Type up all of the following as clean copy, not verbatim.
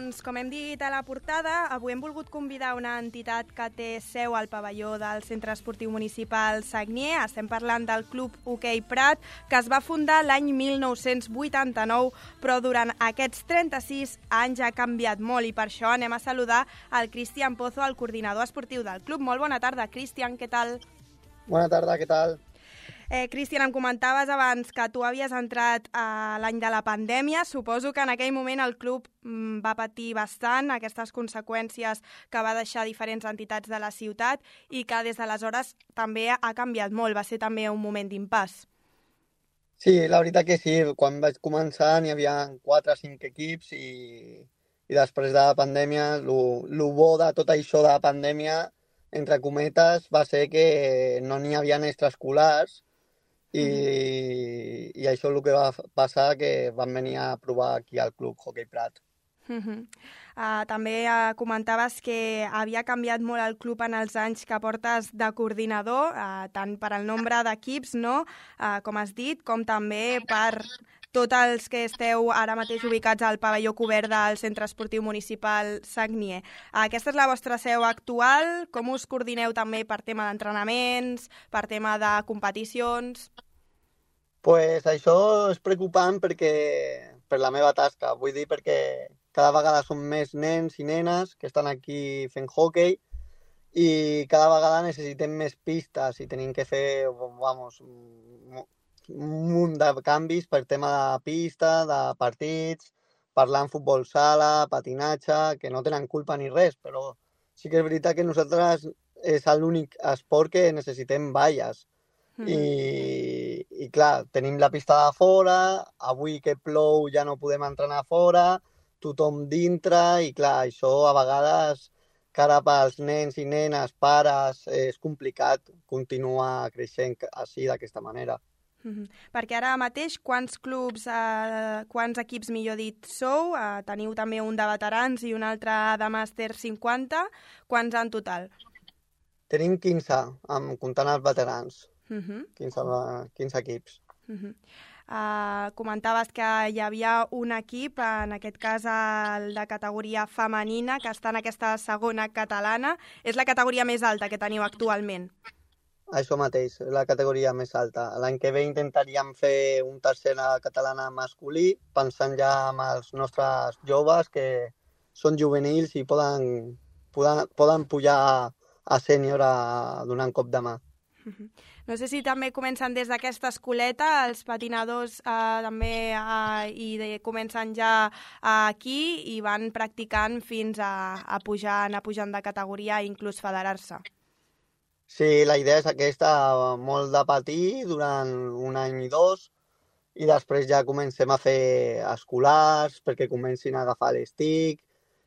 Doncs, com hem dit a la portada, avui hem volgut convidar una entitat que té seu al pavelló del Centre Esportiu Municipal Sagnier. Estem parlant del Club Hoquei Prat, que es va fundar l'any 1989, però durant aquests 36 anys ha canviat molt i per això anem a saludar el Cristian Pozo, el coordinador esportiu del club. Molt bona tarda, Cristian, què tal? Bona tarda, què tal? Cristian, em comentaves abans que tu havies entrat l'any de la pandèmia. Suposo que en aquell moment el club va patir bastant aquestes conseqüències que va deixar diferents entitats de la ciutat i que des d'aleshores també ha canviat molt. Va ser també un moment d'impàs. Sí, la veritat que sí. Quan vaig començar n'hi havia 4 o 5 equips i després de la pandèmia, el bo de tot això de la pandèmia, entre cometes, va ser que no n'hi havia extraescolars i això és el que va passar, que van venir a provar aquí al Club Hoquei Prat. També comentaves que havia canviat molt el club en els anys que portes de coordinador, tant per al nombre d'equips, no? Com has dit, com també per tots els que esteu ara mateix ubicats al pavelló cobert del Centre Esportiu Municipal Sagnier. Aquesta és la vostra seu actual. Com us coordineu també per tema d'entrenaments, per tema de competicions? Pues això és preocupant per la meva tasca. Vull dir, perquè cada vegada són més nens i nenes que estan aquí fent hoquei i cada vegada necessitem més pistes i tenim que fer, un munt de canvis per tema de pista, de partits, parlant futbol sala, patinatge, que no tenen culpa ni res, però sí que és veritat que nosaltres és l'únic esport que necessitem valles. I clar, tenim la pista de fora, avui que plou ja no podem entrenar fora, tothom dintre i clar, això a vegades cara pels nens i nenes, pares, és complicat continuar creixent així d'aquesta manera. Perquè ara mateix quants equips, millor dit, sou? Teniu també un de veterans i un altre de màster 50. Quants en total? Tenim 15, comptant els veterans. 15 equips. Comentaves que hi havia un equip, en aquest cas el de categoria femenina, que està en aquesta segona catalana. És la categoria més alta que teniu actualment? Això mateix, la categoria més alta. L'any que ve intentaríem fer un tercera catalana masculí, pensant ja en els nostres joves que són juvenils i poden pujar a sènior a donar un cop de mà. No sé si també comencen des d'aquesta escoleta, els patinadors també comencen ja aquí i van practicant fins a anar pujant de categoria i inclús federar-se. Sí, la idea és aquesta, molt de patir durant un any i 2 i després ja comencem a fer escolars perquè comencin a agafar l'estic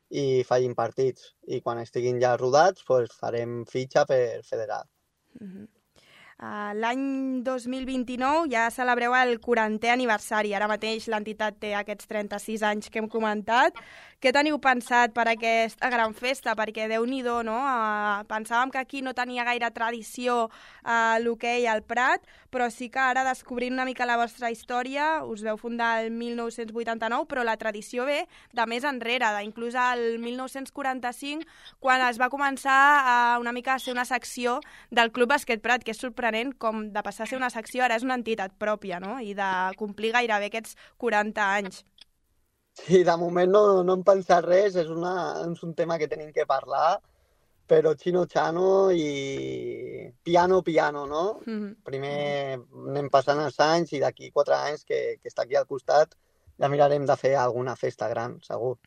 i facin partits. I quan estiguin ja rodats farem fitxa per federar. L'any 2029 ja celebreu el 40è aniversari. Ara mateix l'entitat té aquests 36 anys que hem comentat. Què teniu pensat per aquesta gran festa? Perquè Déu-n'hi-do, no? Pensàvem que aquí no tenia gaire tradició l'hoquei al Prat, però sí que ara descobrint una mica la vostra història, us veu fundar el 1989, però la tradició ve de més enrere, inclús el 1945, quan es va començar una mica a ser una secció del Club Bàsquet Prat, que és sorprenent com de passar a ser una secció ara és una entitat pròpia, no? I de complir gairebé aquests 40 anys. Sí, de moment no hem pensat res, és un tema que tenim que parlar, però xino-xano i piano, no? Primer anem passant els anys i d'aquí 4 anys que està aquí al costat ja mirarem de fer alguna festa gran, segur.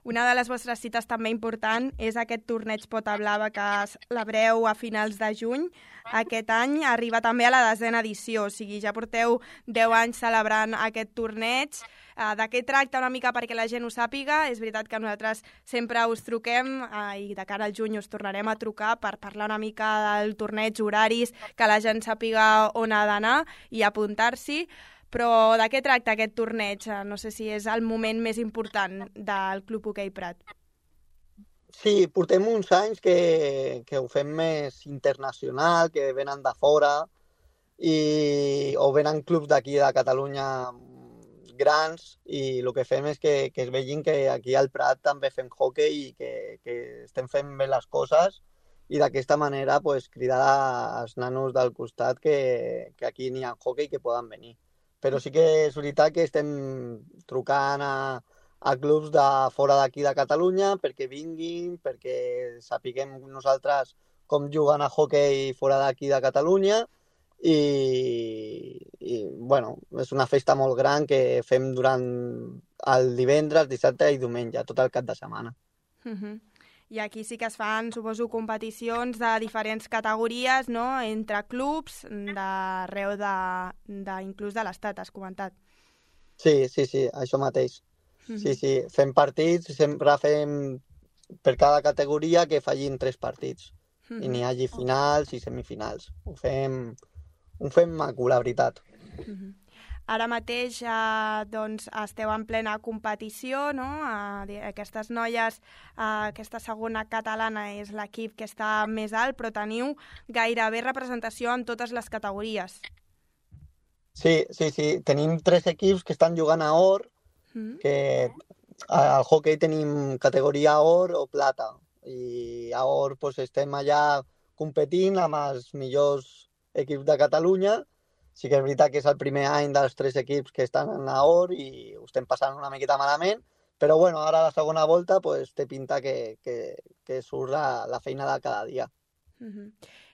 Una de les vostres cites també important és aquest torneig Pota Blava que celebreu a finals de juny. Aquest any arriba també a la 10a edició, o sigui, ja porteu 10 anys celebrant aquest torneig. De què tracta una mica perquè la gent ho sàpiga? És veritat que nosaltres sempre us truquem i de cara al juny us tornarem a trucar per parlar una mica del torneig, horaris, que la gent sàpiga on ha d'anar i apuntar-s'hi. Però de què tracta aquest torneig? No sé si és el moment més important del Club Hoquei Prat. Sí, portem uns anys que ho fem més internacional, que venen de fora o venen clubs d'aquí de Catalunya grans i el que fem és que es vegin que aquí al Prat també fem hoquei i que estem fent bé les coses i d'aquesta manera pues, cridar als nanos del costat que aquí n'hi ha hoquei que poden venir. Però sí que és veritat que estem trucant a clubs de fora d'aquí de Catalunya perquè vinguin, perquè sapiguem nosaltres com juguen a hoquei fora d'aquí de Catalunya i bueno, és una festa molt gran que fem durant el divendres, dissabte i diumenge, tot el cap de setmana. I aquí sí que es fan, suposo, competicions de diferents categories, no?, entre clubs d'arreu inclús de l'estat, has comentat. Sí, això mateix. Sí, fem partits, sempre fem per cada categoria que fallin 3 partits i n'hi hagi finals i semifinals. Ho fem maco, la veritat. Ara mateix doncs, esteu en plena competició, no? Aquestes noies, aquesta segona catalana és l'equip que està més alt, però teniu gairebé representació en totes les categories. Sí. Tenim 3 equips que estan jugant a or, que al hoquei tenim categoria or o plata. I a or pues, estem allà competint amb els millors equips de Catalunya. Sí que és veritat que és el primer any dels 3 equips que estan a or i ho estem passant una miqueta malament, però bueno, ara a la segona volta pues, té pinta que surt la feina de cada dia.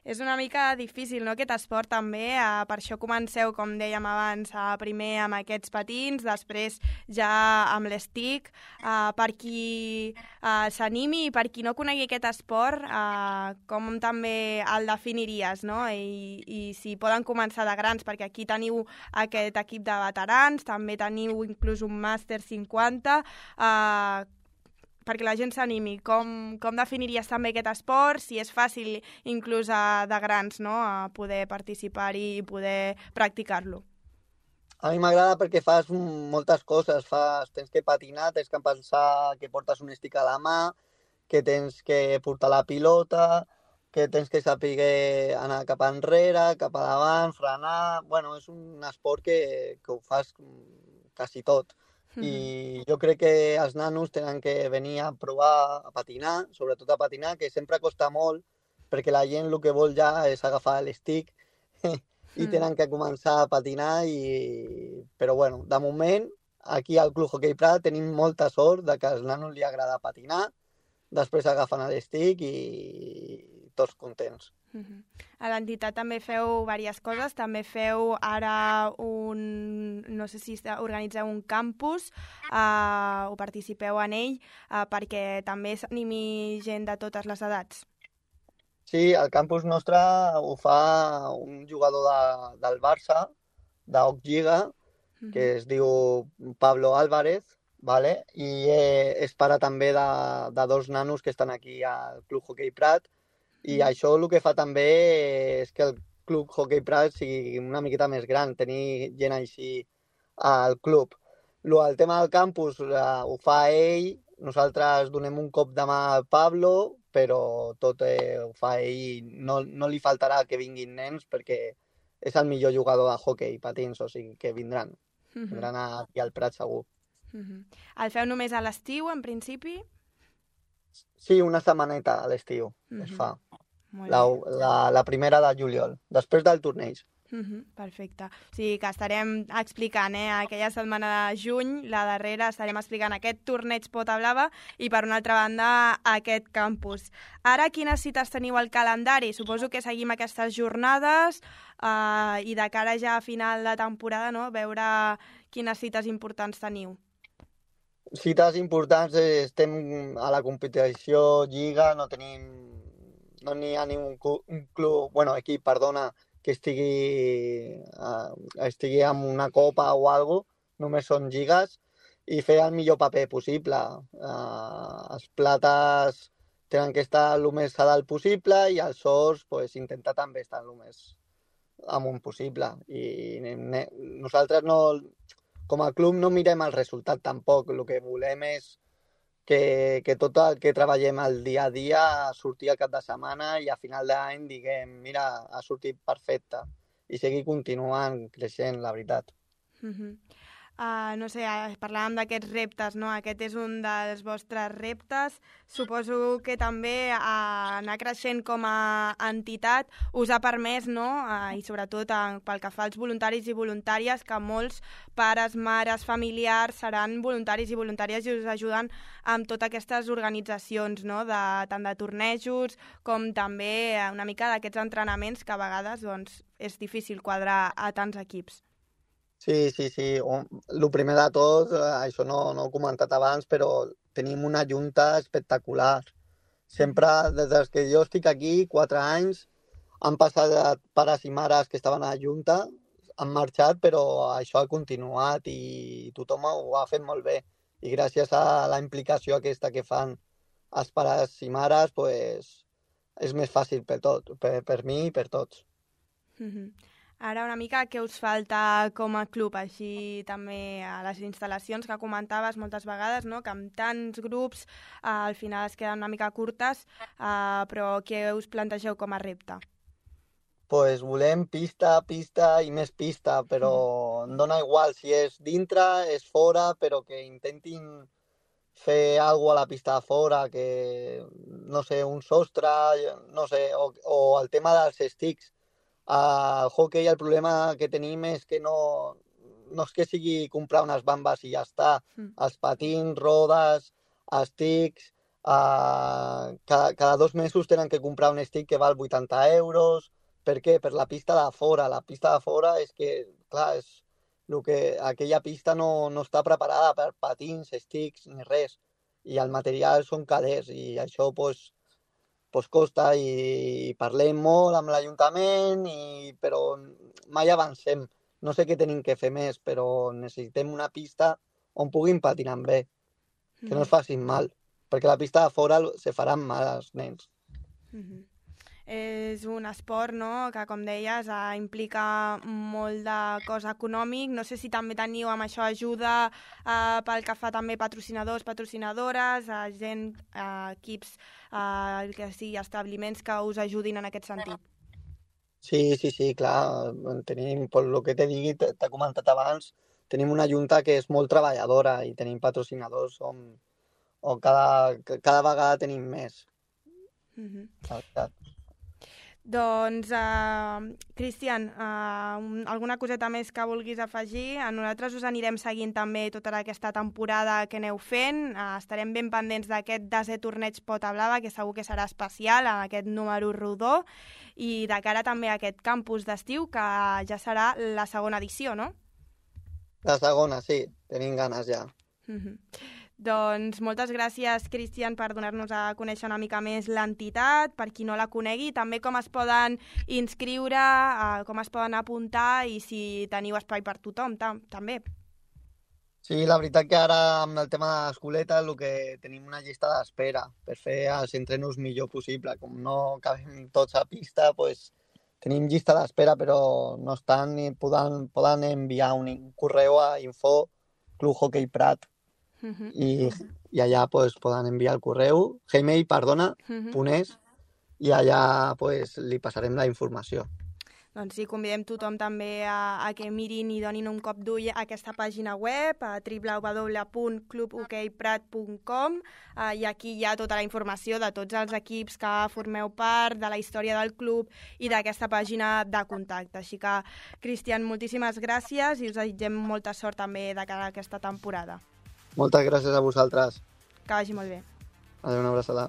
És una mica difícil, no?, aquest esport també, per això comenceu, com dèiem abans, primer amb aquests patins, després ja amb l'estick, per qui s'animi i per qui no conegui aquest esport, com també el definiries, no?, i si poden començar de grans, perquè aquí teniu aquest equip de veterans, també teniu inclús un màster 50, perquè la gent s'animi. Com definiries també aquest esport, si és fàcil inclús de grans, no?, a poder participar-hi i poder practicar-lo? A mi m'agrada perquè fas moltes coses. Tens que patinar, tens que pensar que portes un stick a la mà, que tens que portar la pilota, que tens que saber anar cap enrere, cap a davant, frenar... Bueno, és un esport que ho fas quasi tot. I jo crec que els nanos tenen que venir a provar a patinar, sobretot a patinar, que sempre costa molt, perquè la gent el que vol ja és agafar l'estick i tenen que començar a patinar. Però bueno, de moment, aquí al Club Hoquei Prat tenim molta sort de que als nanos li agrada patinar, després agafen l'estick i tots contents. A l'entitat també feu diverses coses, també feu ara no sé si organitzeu un campus, o participeu en ell, perquè també s'animi gent de totes les edats. Sí, el campus nostre ho fa un jugador del Barça, d'Oc Lliga, que es diu Pablo Álvarez, vale? I és pare també de 2 nanos que estan aquí al Club Hoquei Prat. I això el que fa també és que el Club Hoquei Prat sigui una miqueta més gran, tenir gent així al club. El tema del campus ho fa ell, nosaltres donem un cop de mà al Pablo, però tot ho fa ell i no li faltarà que vinguin nens perquè és el millor jugador de hoquei patins, o sigui que vindran aquí al Prat segur. El feu només a l'estiu, en principi? Sí, una setmaneta a l'estiu es fa. La primera de juliol, després del torneig. Perfecte. O sigui que estarem explicant aquella setmana de juny, la darrera, estarem explicant aquest torneig Pota Blava i, per una altra banda, aquest campus. Ara, quines cites teniu al calendari? Suposo que seguim aquestes jornades i de cara ja a final de temporada, no?, veure quines cites importants teniu. Cites importants, estem a la competició Lliga, no n'hi ha ni un club, equip, que estigui amb una copa o alguna cosa, només són lligues, i fer el millor paper possible. Els plates tenen que estar el més a dalt possible i els ors intentar també estar el més amunt possible. I nosaltres com a club no mirem el resultat tampoc, el que volem és que tot el que treballem el dia a dia surti al cap de setmana i a final d'any diguem, mira, ha sortit perfecte i seguir continuant creixent, la veritat. No sé, parlàvem d'aquests reptes, no? Aquest és un dels vostres reptes. Suposo que també anar creixent com a entitat us ha permès, no? I sobretot pel que fa als voluntaris i voluntàries, que molts pares, mares, familiars seran voluntaris i voluntàries i us ajuden amb totes aquestes organitzacions, no? Tant de tornejos com també una mica d'aquests entrenaments que a vegades doncs, és difícil quadrar a tants equips. Sí. El primer de tot, això no ho he comentat abans, però tenim una junta espectacular. Sempre, des que jo estic aquí, 4 anys, han passat pares i mares que estaven a la junta, han marxat, però això ha continuat i tothom ho ha fet molt bé. I gràcies a la implicació aquesta que fan els pares i mares, pues, és més fàcil per mi i per tots. Ara una mica què us falta com a club, així també a les instal·lacions que comentaves moltes vegades, no? Que amb tants grups al final es queden una mica curtes, però què us plantegeu com a repte? Pues volem pista i més pista, però em dona igual si és dintre, és fora, però que intentin fer alguna cosa a la pista de fora, que, no sé, un sostre, no sé, o el tema dels sticks. Al hockey el problema que tenim és que no és que sigui comprar unes bambes i ja està. Els patins, rodes, sticks, cada 2 mesos tenen que comprar un stick que val 80 euros. Per què? Per la pista de fora. La pista de fora és que, clar, aquella pista no està preparada per patins, sticks ni res. I el material són calés i això, pues costa i parlem molt amb l'Ajuntament, però mai avancem. No sé què tenim que fer més, però necessitem una pista on puguin patinar bé, que no es facin mal, perquè la pista de fora se faran mal als nens. És un esport, no?, que, com deies, implica molt de cost econòmic. No sé si també teniu amb això ajuda pel que fa també patrocinadors, patrocinadores, gent, equips, que sigui, establiments que us ajudin en aquest sentit. Sí, clar. Tenim, per el que t'he comentat abans, tenim una junta que és molt treballadora i tenim patrocinadors on cada vegada tenim més. La veritat. Doncs, Cristian, alguna coseta més que vulguis afegir? Nosaltres us anirem seguint també tota aquesta temporada que aneu fent. Estarem ben pendents d'aquest desè torneig Pota Blava, que segur que serà especial, en aquest número rodó, i de cara també a aquest campus d'estiu, que ja serà la segona edició, no? La segona, sí. Tenim ganes ja. Doncs moltes gràcies, Cristian, per donar-nos a conèixer una mica més l'entitat, per qui no la conegui, també com es poden inscriure, com es poden apuntar i si teniu espai per tothom, també. Sí, la veritat que ara amb el tema de l'escoleta el que tenim una llista d'espera per fer els entrenos millor possible. Com no cabem tots a pista, pues, tenim llista d'espera, però no estan ni poden enviar un correu a info@clubhockeyprat. I allà pues, poden enviar el correu, gmail.es, i allà pues, li passarem la informació. Doncs sí, convidem tothom també a que mirin i donin un cop d'ull a aquesta pàgina web, a www.clubhockeyprat.com, i aquí hi ha tota la informació de tots els equips que formeu part, de la història del club i d'aquesta pàgina de contacte. Així que, Cristian, moltíssimes gràcies i us desitgem molta sort també de cara a aquesta temporada. Moltes gràcies a vosaltres. Que vagi molt bé. Adéu, una abraçada.